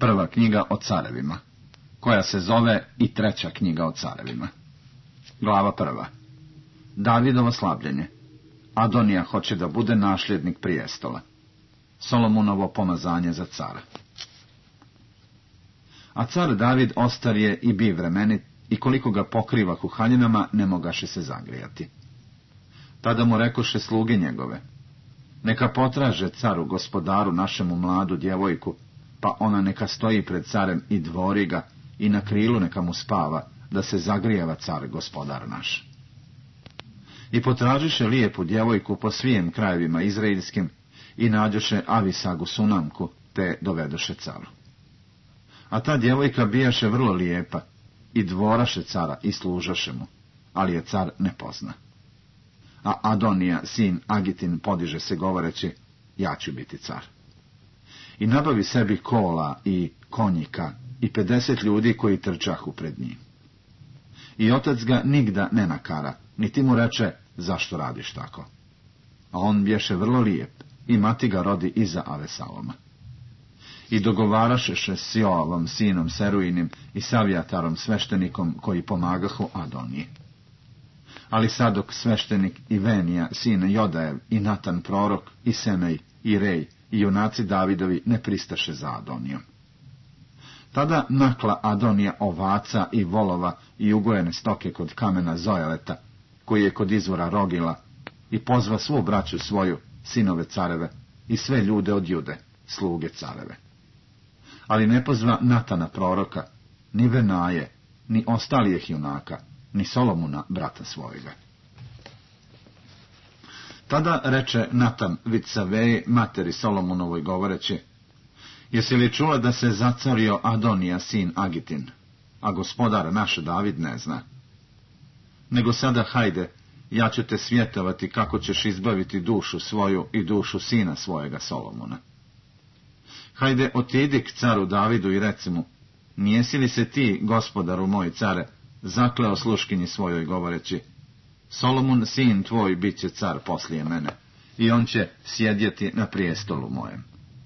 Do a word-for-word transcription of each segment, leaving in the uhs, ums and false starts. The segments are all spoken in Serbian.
Prva knjiga o carevima, koja se zove i treća knjiga o carevima. Glava prva. Davidovo slabljenje. Adonija hoće da bude nasljednik prijestola. Solomonovo pomazanje za cara. A car David ostar je i bi vremenit, i koliko ga pokriva kuhaljinama, ne mogaše se zagrijati. Tada mu rekoše sluge njegove: neka potraže caru gospodaru našemu mladu djevojku, pa ona neka stoji pred carem i dvori ga, i na krilu neka mu spava, da se zagrijeva car gospodar naš. I potražiše lijepu djevojku po svijem krajevima izraelskim, i nađoše Avisagu Sunamku, te dovedoše caru. A ta djevojka bijaše vrlo lijepa, i dvoraše cara i služaše mu, ali je car ne pozna. A Adonija, sin Agitin, podiže se govoreći: ja ću biti car. I nabavi sebi kola i konjika i pedeset ljudi koji trčahu pred njim. I otac ga nigda ne nakara, niti mu reče: zašto radiš tako? A on bješe vrlo lijep, i mati ga rodi iza Avesaloma. I dogovarašeše s Joavom, sinom Seruinim, i Savijatarom, sveštenikom, koji pomagahu Adoniji. Ali Sadok sveštenik, i Venija, sin Jodajev, i Natan prorok, i Semej, i Rej, i junaci Davidovi ne pristaše za Adonijom. Tada nakla Adonija ovaca i volova i ugojene stoke kod kamena Zoeleta, koji je kod izvora Rogila, i pozva svu braću svoju, sinove careve, i sve ljude od Jude, sluge careve. Ali ne pozva Natana proroka, ni Venaje, ni ostalijih junaka, ni Solomona, brata svojega. Tada reče Natan Vitsaveji, materi Solomonovoj, govoreći: jesi li čula da se zacario Adonija, sin Agitin, a gospodar naš David ne zna? Nego sada hajde, ja ću te svjetovati kako ćeš izbaviti dušu svoju i dušu sina svojega Solomona. Hajde, otidi k caru Davidu i reci mu: nijesi li se ti, gospodaru moj care, zakleo sluškinji svojoj govoreći: Solomon, sin tvoj, bit će car poslije mene, i on će sjedjeti na prijestolu mojem.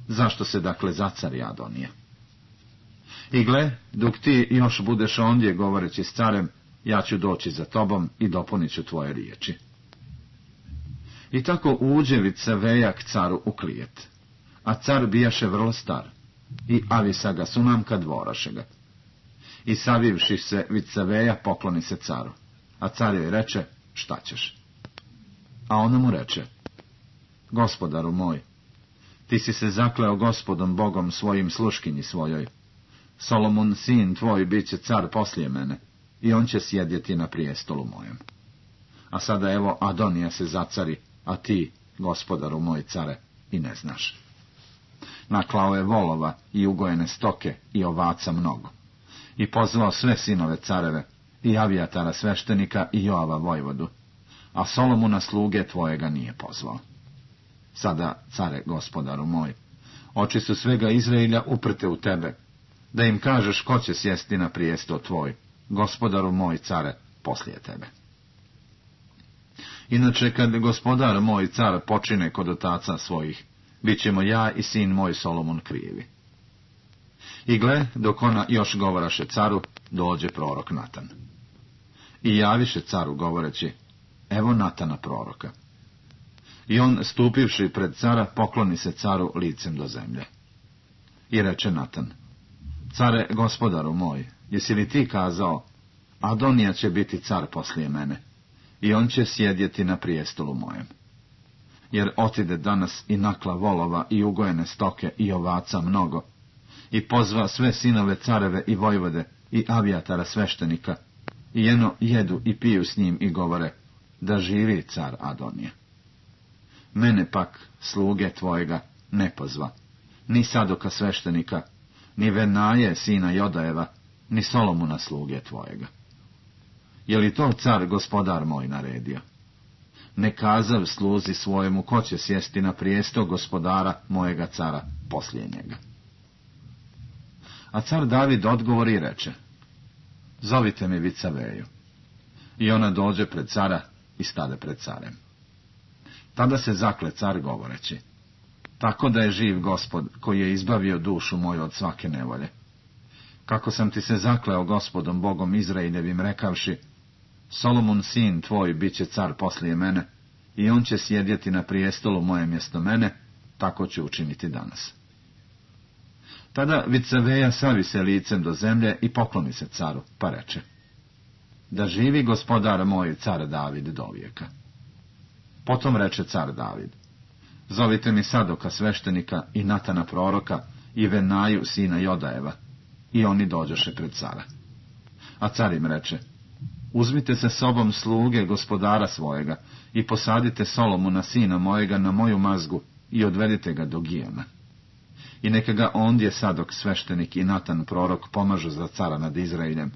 Zašto se dakle zacari Adonija? I gle, dok ti još budeš ondje govoreći s carem, ja ću doći za tobom i dopunit ću tvoje riječi. I tako uđe Vitsaveja k caru u klijet. A car bijaše vrlo star, i Avisaga Sunamka dvoraše ga. I savivši se Vitsaveja pokloni se caru, a car joj reče: šta ćeš? A ona mu reče: gospodaru moj, ti si se zakleo gospodom Bogom svojim sluškinji svojoj. Solomon, sin tvoj, bit će car poslije mene, i on će sjedjeti na prijestolu mojem. A sada evo Adonija se zacari, a ti, gospodaru moj care, i ne znaš. Naklao je volova i ugojene stoke i ovaca mnogo. I pozvao sve sinove careve, i Avijatara sveštenika i Joava vojvodu, a Solomona sluge tvojega nije pozvao. Sada, care, gospodaru moj, oči su svega Izraelja uprte u tebe, da im kažeš ko će sjesti na prijesto tvoj, gospodaru moj care, poslije tebe. Inače, kad gospodar moj car počine kod otaca svojih, bit ćemo ja i sin moj Solomon krivi. I gle, dok ona još govoraše caru, dođe prorok Natan. I javiše caru govoreći: evo Natana proroka. I on, stupivši pred cara, pokloni se caru licem do zemlje. I reče Natan: care, gospodaru moj, jesi li ti kazao: Adonija će biti car poslije mene, i on će sjedjeti na prijestolu mojem? Jer otide danas i nakla volova i ugojene stoke i ovaca mnogo, i pozva sve sinove careve i vojvode i Avijatara sveštenika, i jeno jedu i piju s njim i govore: da živi car Adonija. Mene pak, sluge tvojega, ne pozva, ni Sadoka sveštenika, ni Venaje, sina Jodajeva, ni Solomona sluge tvojega. Je li to car gospodar moj naredio? Ne kazav sluzi svojemu ko će sjesti na prijesto gospodara mojega cara poslije njega. A car David odgovori i reče: zovite mi Vitsaveju. I ona dođe pred cara i stade pred carem. Tada se zakle car govoreći: Tako da je živ Gospod, koji je izbavio dušu moju od svake nevolje. Kako sam ti se zakleo Gospodom Bogom Izraeljevim, rekavši, Solomon sin tvoj bit će car poslije mene, i on će sjedjeti na prijestolu moje mjesto mene, tako ću učiniti danas. Tada Vicaveja savi se licem do zemlje i pokloni se caru, pa reče, da živi gospodar moj, car David, dovijeka. Potom reče car David, zovite mi Sadoka sveštenika i Natana proroka i Venaju sina Jodajeva, i oni dođoše pred cara. A car im reče, uzmite se sobom sluge gospodara svojega i posadite Solomona sina mojega na moju mazgu i odvedite ga do Gijona. I neka ga ondje Sadok sveštenik i Natan prorok pomažu za cara nad Izraeljem,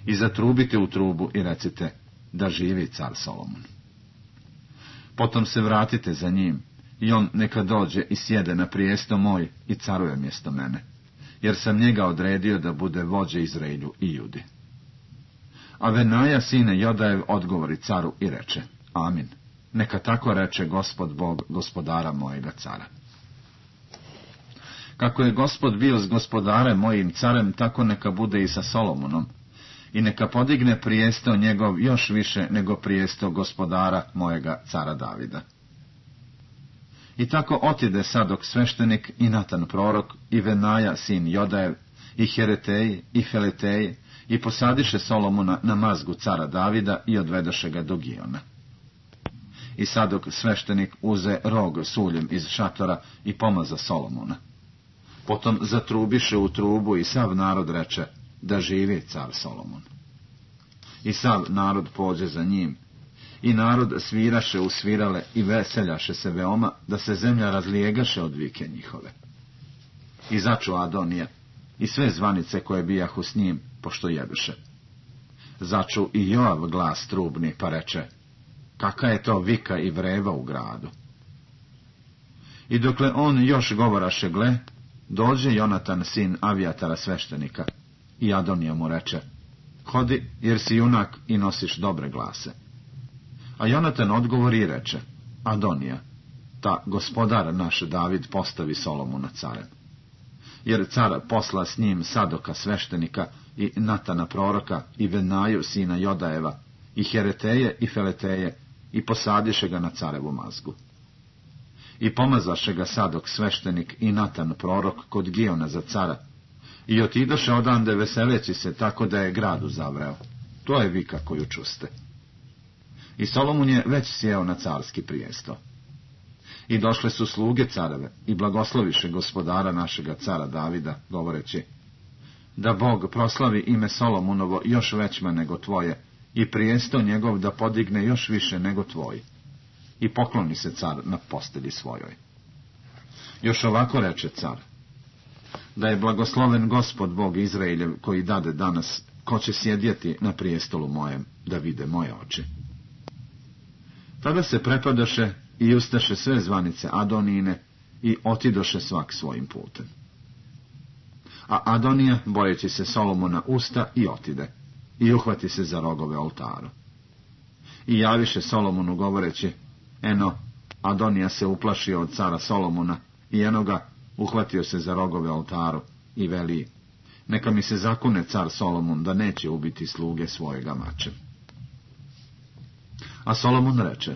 i zatrubite u trubu i recite, da živi car Solomon. Potom se vratite za njim, i on neka dođe i sjede na prijesto moj i caruje mjesto mene, jer sam njega odredio da bude vođe Izraelju i Judi. A Venaja sine Jodajev odgovori caru i reče, amin, neka tako reče Gospod Bog gospodara mojega cara. Kako je Gospod bio s gospodarem mojim carem, tako neka bude i sa Solomonom, i neka podigne prijesto njegov još više nego prijesto gospodara mojega cara Davida. I tako otide Sadok sveštenik i Natan prorok i Venaja sin Jodajev i Hereteji i Feleteji i posadiše Solomona na mazgu cara Davida i odvedoše ga do Gijona. I Sadok sveštenik uze rog s uljem iz šatora i pomaza Solomona. Potom zatrubiše u trubu i sav narod reče, da živi car Solomon. I sav narod pođe za njim, i narod sviraše u svirale i veseljaše se veoma, da se zemlja razlijegaše od vike njihove. I začu Adonija, i sve zvanice koje bijahu s njim, pošto jeduše. Začu i Joav glas trubni, pa reče, kaka je to vika i vreva u gradu. I dokle on još govoraše, gle, dođe Jonatan sin Avijatara sveštenika, i Adonija mu reče, hodi, jer si junak i nosiš dobre glase. A Jonatan odgovori i reče, Adonija, ta gospodar naš David postavi Solomona carem. Jer car posla s njim Sadoka sveštenika i Natana proroka i Venaju sina Jodajeva i Hereteje i Feleteje i posadiše ga na carevu mazgu. I pomazaše ga Sadok sveštenik i Natan prorok kod Gijona za cara, i otidoše odande veseleći se, tako da je gradu zavreo. To je vika koju čuste. I Solomon je već sjeo na carski prijesto. I došle su sluge careve i blagosloviše gospodara našega cara Davida, govoreći, da Bog proslavi ime Solomonovo još većma nego tvoje, i prijesto njegov da podigne još više nego tvoj. I pokloni se car na postelji svojoj. Još ovako reče car, da je blagosloven Gospod Bog Izraeljev, koji dade danas, ko će sjedjeti na prijestolu mojem, da vide moje oči. Tada se prepadoše i ustaše sve zvanice Adonijine i otidoše svak svojim putem. A Adonija, bojeći se Solomona, usta i otide, i uhvati se za rogove oltaru. I javiše Solomonu govoreći, eno, Adonija se uplašio od cara Solomona, i eno ga, uhvatio se za rogove oltaru, i veli, neka mi se zakune car Solomon da neće ubiti sluge svojega mačem. A Solomon reče,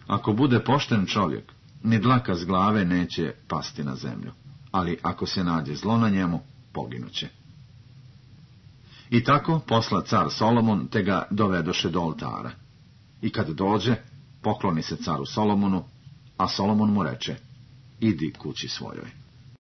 ako bude pošten čovjek, ni dlaka s glave neće pasti na zemlju, ali ako se nađe zlo na njemu, poginuće. I tako posla car Solomon, te ga dovedoše do oltara. I kad dođe, pokloni se caru Solomonu, a Solomon mu reče, idi kući svojoj.